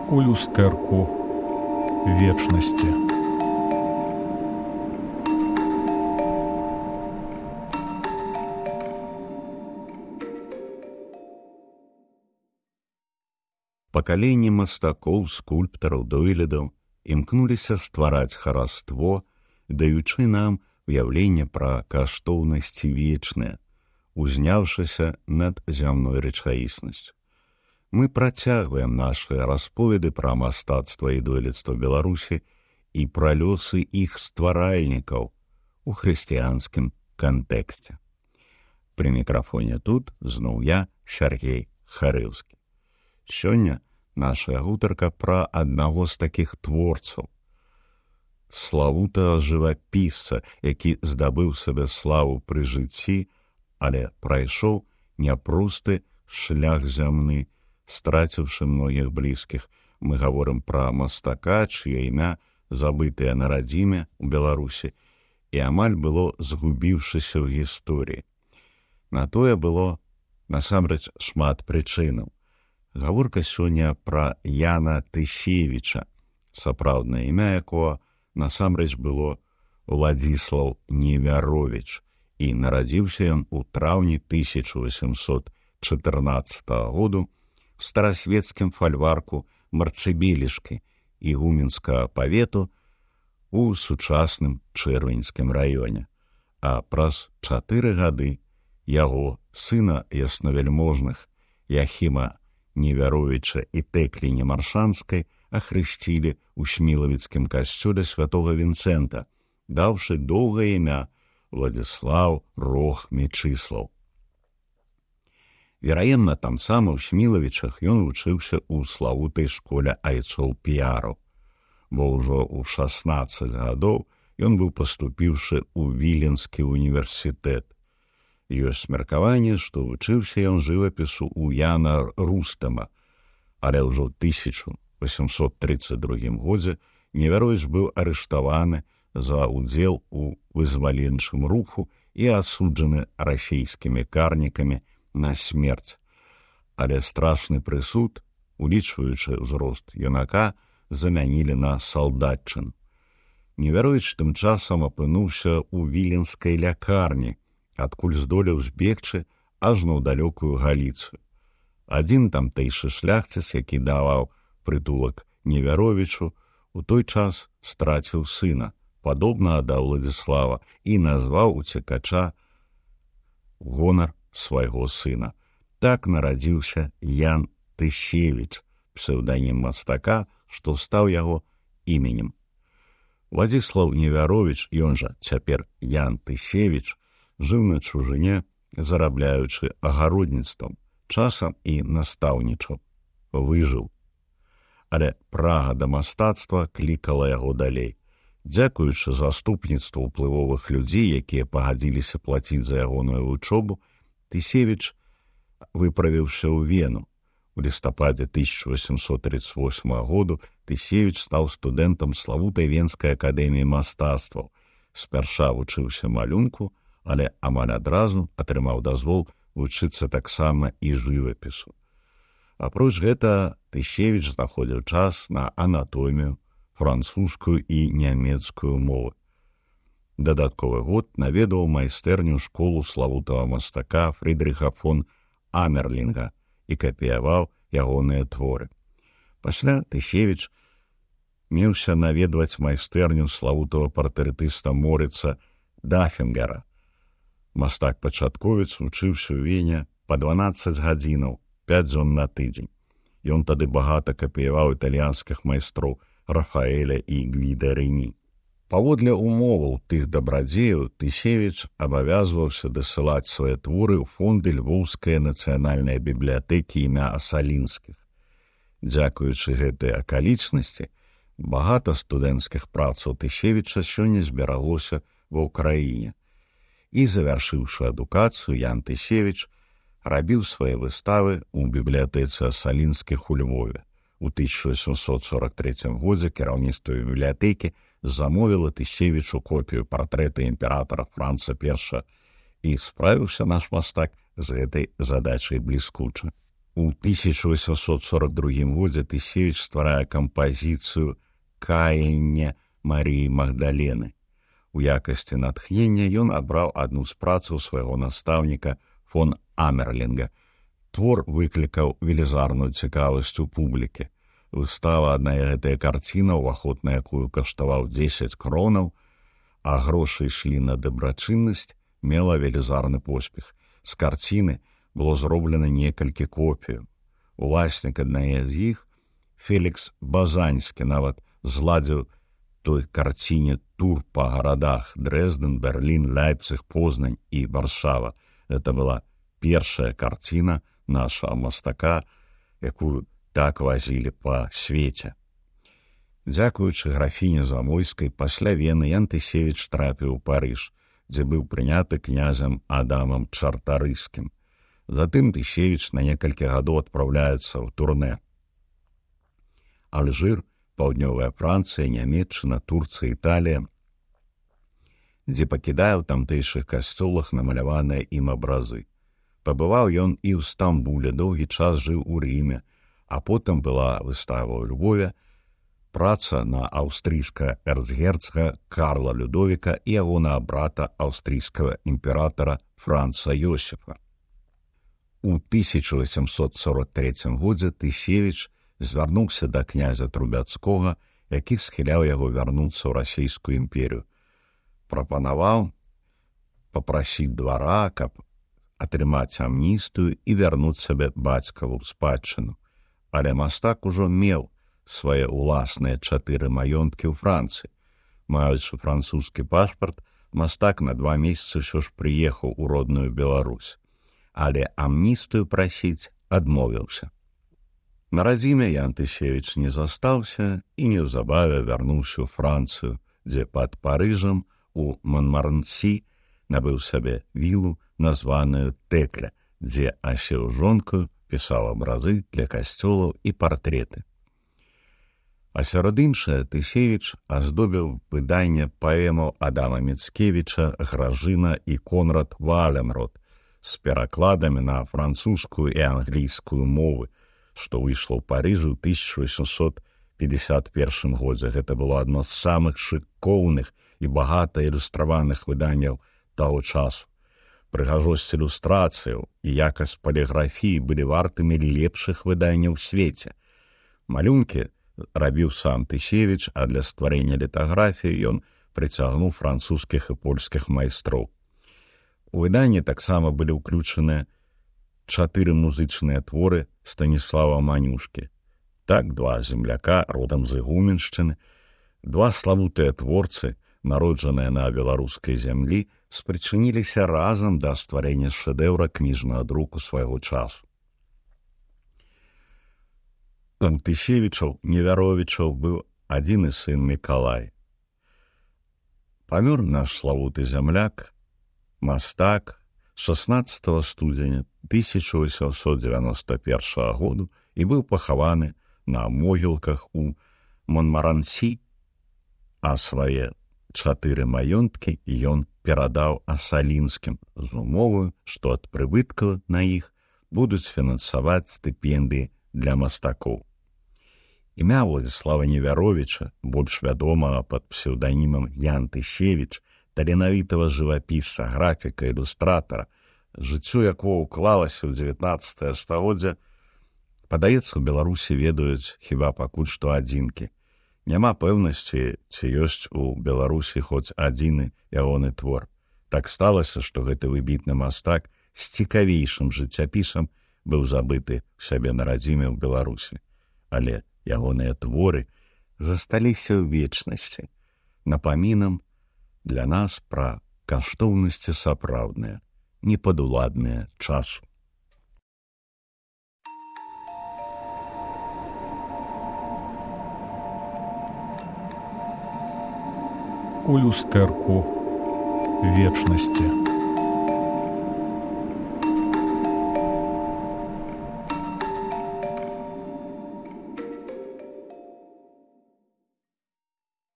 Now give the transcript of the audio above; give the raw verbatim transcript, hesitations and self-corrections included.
у люстэрку вечнасці. Пакаленні мастакоў, скульптараў, дойлідаў імкнуліся ствараць хараство, даючы нам уяўленне пра каштоўнасці вечныя, узняўшыся над зямной рэчаіснасцю. Мы працягваем нашыя расповеды пра мастацтва і дойлідства Беларусі і пра лёсы іх стваральнікаў у хрысціянскім кантэксце. Пры мікрафоне тут зноў я, Сяргей Харыўскі. Сёння нашая гутарка пра аднаго з такіх творцаў, славутага жывапісца, які здабыў сабе славу пры жыцці, але прайшоў няпросты шлях зямны, страціўшы многіх блізкіх. Мы гаворым пра мастака, чые імя забытае на радзіме ў Беларусі і амаль было згубіўшыся ў гісторыі. На тое было насамрэч шмат прычынаў. Гаворка сёння пра Яна Тысевіча, сапраўднае імя якога насамрэч было Владзіслаў Невяровіч, і нарадзіўся ён у траўні тысяча васемсот чатырнаццатага году в старасвецкім фальварку Марцыбелішкі ігуменскага павету у сучасным Чырвеньскім раёне. А праз чатыры гады яго сына яснавяльможных Яхіма Невяровіча і Тэкліні Маршанскай ахрысцілі ў Смілавіцкім касцёле святога Вінцэнта, даўшы доўгае імя Владзіслаў Рох Мечыслаў. Вераемна, там сама ў Смілавічах ён вучыўся ў славутай школе айцоў-піяраў, бо ўжо ў шаснаццаць гадоў ён быў паступіўшы ў Віленскі універсітэт. Ёсць меркаванне, што вучыўся ён жывапісу ў Яна Рустама, але ўжо ў тысяча васемсот трыццаць другім годзе Невяровіч быў арыштаваны за ўдзел у вызваленчым руху і асуджаны расійскімі карнікамі на смерць. Але страшны прысуд, улічваючы ўзрост юнака, замянілі на салдатчыну. Невяровіч тым часам апынуўся ў віленскай лякарні, адкуль здолеў збегчы аж на ў далёкую Галіцыю. Адзін тамтэйшы шляхціц, які даваў прытулак Невяровічу, у той час страціў сына, падобнага да Владзіслава, і назваў уцекача гонар свайго сына. Так нарадзіўся Ян Тысевіч, псеўданім мастака, што стаў яго іменем. Владзіслаў Невяровіч, ён жа цяпер Ян Тысевіч, жыў на чужыне, зарабляючы агародніцтвам, часам і настаўнічаў. Выжыў. Але прага да мастацтва клікала яго далей. Дзякуючы заступніцтву ўплывовых людзей, якія пагадзіліся плаціць за ягоную вучобу, Тысевіч выправіўся ў Вену. У лістападзе тысяча васемсот трыццаць восьмага году Тысевіч стаў студэнтам славутай Венскай акадэміі мастацтваў. Спярша вучыўся малюнку, але амаль адразу атрымаў дазвол вучыцца таксама і жывапісу. Апроч гэта, Тысевіч знаходзіў час на анатомію, французскую і нямецкую мовы. Дадатковы год наведаў майстэрню школу славутага мастака Фрыдрыха фон Амерлінга і капіяваў ягоныя творы. Пасля Тысевіч меўся наведваць майстэрню славутага партрэтыста Морыца Дафінгера. Мастак-пачатковец вучыўся ў Вене па дванаццаць гадзінаў, пяць дзён на тыдзень. Ён тады багата капіяваў італьянскіх майстроў Рафаэля і Гвіда Рэні. Паводле умоваў тых дабрадзеяў Тысевіч абавязваўся дасылаць свае творы ў фонды Львоўскай нацыянальнай бібліятэкі імя Асалінскіх. Дзякуючы гэтай акалічнасці, багата студэнцкіх працаў Тысевіча сёння збераглося ва ўкраіне. І, завяршыўшы адукацыю, Ян Тысевіч рабіў свае выставы ў бібліятэцы Асалінскіх у Львове. У тысяча васемсот сорак трэцім годзе кіраўніцтва бібліятэкі замовіла Тысевічу копію партрэта імператара Франца першага, і справіўся наш мастак з гэтай задачай бліскуча. У тысяча восемьсот сорок другім годзе Тысевіч стварае кампазіцыю «Каянне Марыі Магдалены». У якасці натхнення ён абраў адну з працаў свайго настаўніка фон Амерлінга. Твор выклікаў велізарную цікавасць у публікі. Выстава адна гэтая карціна, уваход на якую каштаваў дзесяць кронаў, а грошы ішлі на дабрачыннасць, мела велізарны поспех. З карціны было зроблена некалькі копіяў. Уласнік аднае з іх, Фелікс Базаньскі, нават зладзіў той карціне тур па гарадах Дрэздэн, Берлін, Ляйпцыг, Познань і Варшава. Гэта была першая карціна нашага мастака, якую так вазілі па свеце. Дзякуючы графіне Замойскай, пасля Вены Ян Тысевіч трапіў у Парыж, дзе быў прыняты князем Адамам Чартарыскім. Затым Тысевіч на некалькі гадоў адпраўляецца ў турнэ. Алжыр, Паўднёвая Францыя, Нямецчына, Турцыя, Італія, дзе пакідае ў тамтэйшых касцёлах намаляваныя ім абразы. Пабываў ён і ў Стамбуле, доўгі час жыў у Рыме, а потым была выстава ў Львове, праца на аўстрыйскага эрцгерцага Карла Людовіка і ягонага брата аўстрыйскага імператара Франца Йосіфа. У тысяча восемьсот сорок трэцім годзе Тысевіч звярнуўся да князя Трубяцкога, які схіляў яго вярнуцца ў расійскую імперію. Прапанаваў папрасіць двара, каб атрымаць амністыю і вярнуць сабе бацькаву спадчыну. Але мастак ужо меў свае ўласныя чатыры маёнткі ў Францыі. Маючы французскі пашпарт, мастак на два месяцы ўсё ж прыехаў у родную Беларусь. Але амністыю прасіць адмовіўся. На радзіме Ян Тысевіч не застаўся і неўзабаве вярнуўся ў Францыю, дзе пад Парыжам у Монмарансі набыў сабе вілу, названую Тэкля, дзе асеў жонкаю, пісаў абразы для касцёлаў і партрэты. А сярод іншае Тысевіч аздобіў выданне паэмаў Адама Міцкевіча «Гражына» і «Конрад Валенрод» з перакладамі на французскую і англійскую мовы, што выйшло ў Парыжы ў тысяча восемьсот пятьдесят першым годзе. Гэта было адно з самых шыкоўных і багата ілюстраваных выданняў таго часу. Прыгажосць ілюстрацыяў і якасць паліграфіі былі вартымі лепшых выданняў у свеце. Малюнкі рабіў сам Тысевіч, а для стварэння літаграфіі ён прыцягнуў французскіх і польскіх майстроў. У выданні таксама былі ўключаныя чатыры музычныя творы Станіслава Манюшкі. Так, два земляка родам з Ігуменшчыны, два славутыя творцы, народжаныя на беларускай зямлі, спрычыніліся разам да стварэння шэдэўра кніжнага друку свайго часу. У Тысевічаў Неверовічаў быў адзіны сын Мікалай. Памёр наш славуты зямляк, мастак, шаснаццатага студзеня тысяча восемьсот девяносто першага году і быў пахаваны на могілках у Монмарансі, а свае чатыры маёнткі ён перадаў Асалінскім з умовою, што ад прыбыткаў на іх будуць фінансаваць стыпендыі для мастакоў. Імя Владзіслава Неверовіча, больш вядомага пад псеўданімам Ян Тысевіч, таленавітага жывапісца, графіка, ілюстратара, жыццё якого ўклалася ў дзевятнаццатае стагоддзе, падаецца, у Беларусі ведаюць хіба пакуль што адзінкі. Няма пэўнасці, ці ёсць у Беларусі хоць адзіны ягоны твор. Так сталася, што гэты выбітны мастак з цікавейшым жыццяпісам быў забыты ў сябе на радзіме ў Беларусі. Але ягоныя творы засталіся ў вечнасці, напамінам для нас пра каштоўнасці сапраўдныя, непадуладныя часу. У люстэрку вечнасці.